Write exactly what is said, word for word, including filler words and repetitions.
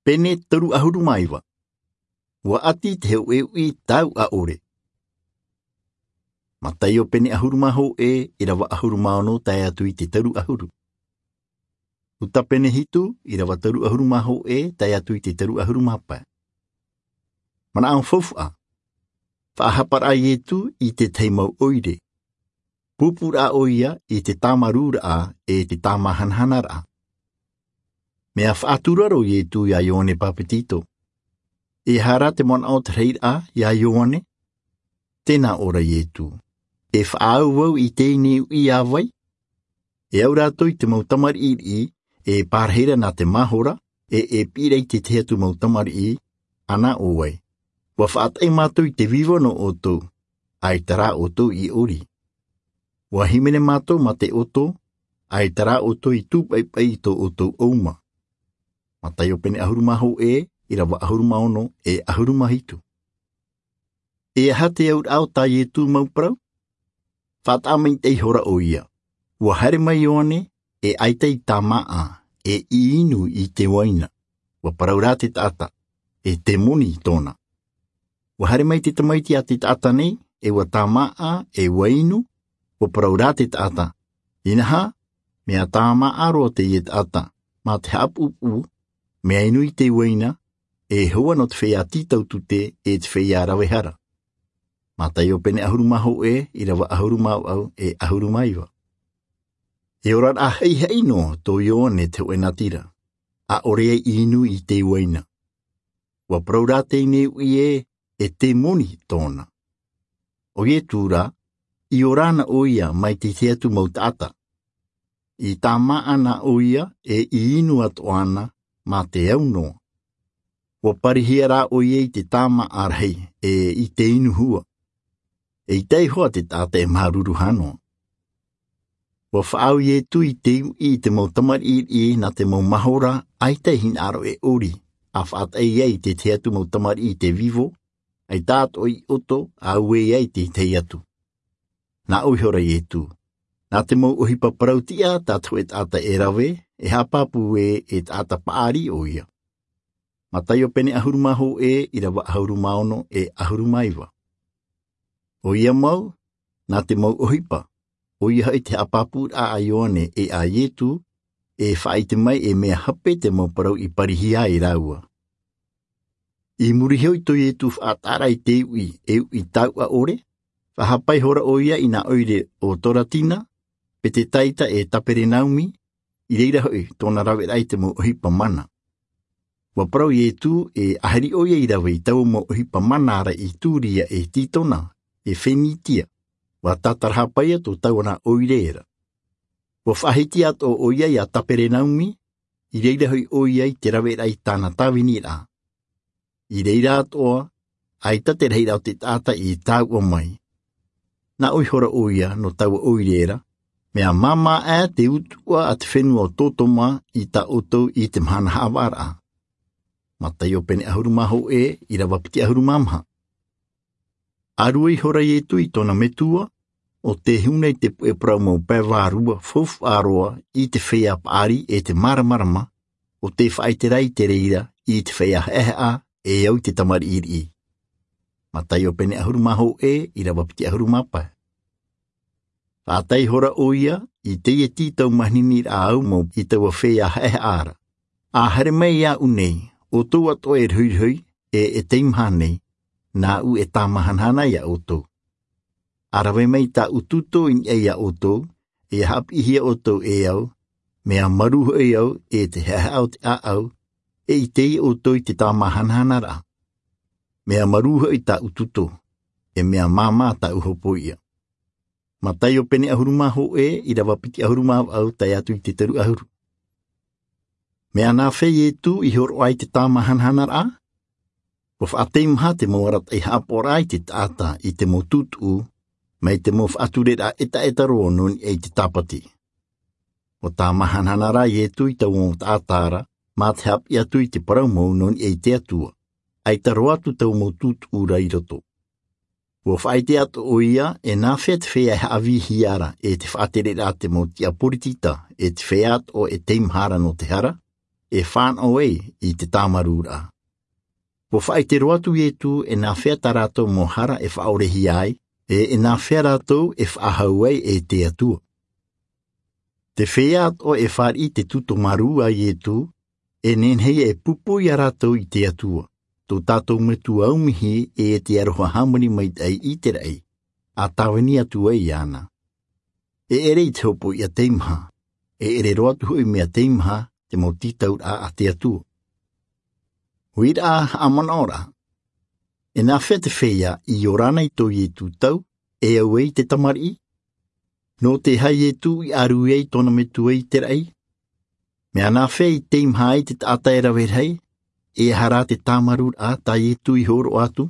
Pene toru ʻahuru mā iva. Ua ʻati te hōʻē uʻi tauʻa ʻore. Mataio pene ʻahuru mā hōʻē, ʻirava ʻahuru mā ono tae atu i te toru ʻahuru. Luka pene hitu, ʻirava toru ʻahuru mā hōʻē tae atu i te toru ʻahuru mā pae. Manaʻo faufaʻa. Faʻahapa rā Ietu i te tahi mau ʻoire. Pūpū rā ʻoia i te tāmarūraʻa e te tāmāhanahanaraʻa. Mea faʻatura rā Ietu iā Ioane Papetito. E aha rā te manaʻo o te rahiraʻa iā Ioane? Tē nā ʻō ra Ietu. E faʻaau vau i teie nei uʻi iā vai? E au rātou i te mau tamariʻi riʻi, e pārahi ra nā te mahora, e, e piʻi ra i te tahi atu mau tamariʻi, ʻana ʻo vai. Ua faʻataʻi mātou i te vivo nō ʻoutou, ʻaita rā ʻoutou i ʻori. Ua hīmene mātou mā te ʻoto, ʻaita rā ʻoutou i tūpaʻipaʻi i tō ʻoutou ʻouma. Mataio pene ʻahuru mā hōʻē, ʻirava ʻahuru mā ono, e ʻahuru mā hitu. E aha te auraʻa o tā Ietu mau parau? Faʻataʻa maitaʻi ihora ʻoia. Ua haere mai Ioane, e ʻaita i tāmāʻa, e i inu i te uaina. Ua parau rā te taʻata, e temoni tōna. Ua haere mai te tamaiti a te taʻata nei, e ua tāmāʻa, e ua inu, ua parau rā te taʻata. Inaha, mea tāmāʻa roa teie taʻata, mā te haʻapuʻupuʻu, mea inu i te uaina, e hoa nō te feiā tītautute, e te feiā rave hara. Mataio pene ʻahuru mā hōʻē, ʻirava ʻahuru mā vaʻu, e ʻahuru mā iva. E oraraʻa haʻihaʻi noa tō Ioane te hōʻē natira. ʻAʻore ia i inu i te uaina. Ua parau rā teie nei uʻi ē, e temoni tōna. ʻO Ietu rā, i ora ana ʻoia mai te tahi atu mau taʻata. I tāmāʻa na ʻoia, e i inu atoʻa ana, mā te au noa. Ua parihia rā ʻoia i te tāmāʻa rahi, e i te inu hua. E ʻita iho ā te taʻata e māuruuru noa. Ua faʻaau Ietu i te uʻi i te mau tamariʻi riʻi nā te mau mahora, ʻaita e hinaʻaro e ʻori, ʻa faʻataʻa ia i te tahi atu mau tamariʻi i te vivo, ʻaita atoʻa i ʻoto, ʻa ue ia i te tahi atu. Nā ʻō ihora Ietu. Nā te mau ʻohipa parau tiʻa tā te hōʻē taʻata e rave, e haʻapāpū ē, e taʻata paʻari ʻoia. Mataio pene ʻahuru mā hōʻē, ʻirava ʻahuru mā ono, e ʻahuru mā iva. ʻOia mau, nā te mau ʻohipa, ʻoia hoʻi te haʻapāpūraʻa a Ioane e a Ietu, e faʻaʻite mai e mea hape te mau parau i parihia ai rāua. I muri iho i tō Ietu faʻataʻaraʻa i te uʻi, e uʻi tauʻa ʻore, faʻahapa ihora ʻoia i nā ʻoire o Toratina, Petetaita e Taperenaumi, i reira hoʻi tōna raveraʻa i te mau ʻohipa mana. Ua parau Ietu e ʻahiri ʻoia i rave i taua mau ʻohipa mana ra i Turia e Titona, e Fenitia, ua tātarahapa ia tō taua nā ʻoire ra. Ua faʻahiti atoʻa ʻoia iā Taperenaumi, i reira hoʻi ʻoia i te raveraʻa i tāna tāviniraʻa. I reira atoʻa, ʻaita te rahiraʻa o te taʻata i tāuʻa mai. Nā ʻō ihora ʻoia nō taua ʻoire ra, mea māmā aʻe te utuʻa a te fenua o Totoma i tā ʻoutou i te mahana haʻavāraʻa. Mataio pene ʻahuru mā hōʻē, ʻirava piti ʻahuru mā maha. ʻĀrue ihora Ietu i tōna metua, ʻo tē huna i te puʻe parau mau pae vārua faufaʻa roa i te feiā paʻari e te māramarama, ʻo tē faʻaʻite ra i te reira i te feiā haʻehaʻa e au i te tamariʻi riʻi. Mataio pene ʻahuru mā hōʻē, ʻirava piti ʻahuru mā pae. Faʻataʻa ihora ʻoia i teie tītau mahiniraʻa au mau i taua feiā haʻehaʻa ra. ʻA haere mai iāʻu nei, ʻoutou atoʻa e rohirohi, e, e teimaha nei, nāʻu e tāmāhanahana iā ʻoutou. ʻA rave mai tāʻu tūtō i niʻa iā ʻoutou, e haʻapiʻihia ʻoutou e au, mea marū hoʻi au, e te haʻehaʻa o te ʻāʻau, e ʻite ʻoutou i te tāmāhanahanaraʻa. Mea marū hoʻi tāʻu tūtō, e mea māmā tāʻu hopoiʻa. Mataio pene ʻahuru mā hōʻē, ʻirava piti ʻahuru mā vaʻu tae atu i te toru ʻahuru. Mea nāfea Ietu i hōroʻa i te tāmāhanahanaraʻa? Ua faʻateimaha te mau arataʻi haʻapaʻoraʻa i te taʻata i te mau tūtuʻu, mai te mau faʻatureraʻa ʻetaʻeta roa nō niʻa i te tāpati. Ua tāmāhanahana rā Ietu i taua mau taʻata ra, mā te haʻapiʻi atu i te parau mau nō niʻa i te Atua, ʻaita roa atu taua mau tūtuʻu ra i roto. Ua faʻaʻite atoʻa ʻoia, e nāfea te feiā e haʻavīhia ra, e te faʻatereraʻa te mau tiʻa poritita, e te feiā atoʻa e teimaha ra nō te hara, e fānaʻo ai i te tāmarūraʻa. Ua faʻaʻite roa atu iesu e nāfea tā rātou mau hara e faʻaorehia ai, e e nāfea rātou e faʻahou ai e te atua. Te feiā atoʻa e fāriʻi te tūtō marū a iesu, e nehenehe e pūpū iā rātou i te atua, tō tātou metua aumihi, e te aroha hāmani maitaʻi i te raʻi a tāvini atu ai iāna. E ʻere i te hopoiʻa teimaha, e ʻere roa atu hoʻi mea teimaha te mau tītauraʻa a te atua. Uiraʻa haʻamanaʻoraʻa. E nāfea te feiā i ora ana i tō iesu tau, e au ai te tamariʻi? Nō te aha iesu i ʻaru ai tōna metua i te raʻi? Mea nāfea i teimaha ai te taʻata e rave rahi? E aha rā te tāmarūraʻa tā iesu i hōroʻa atu?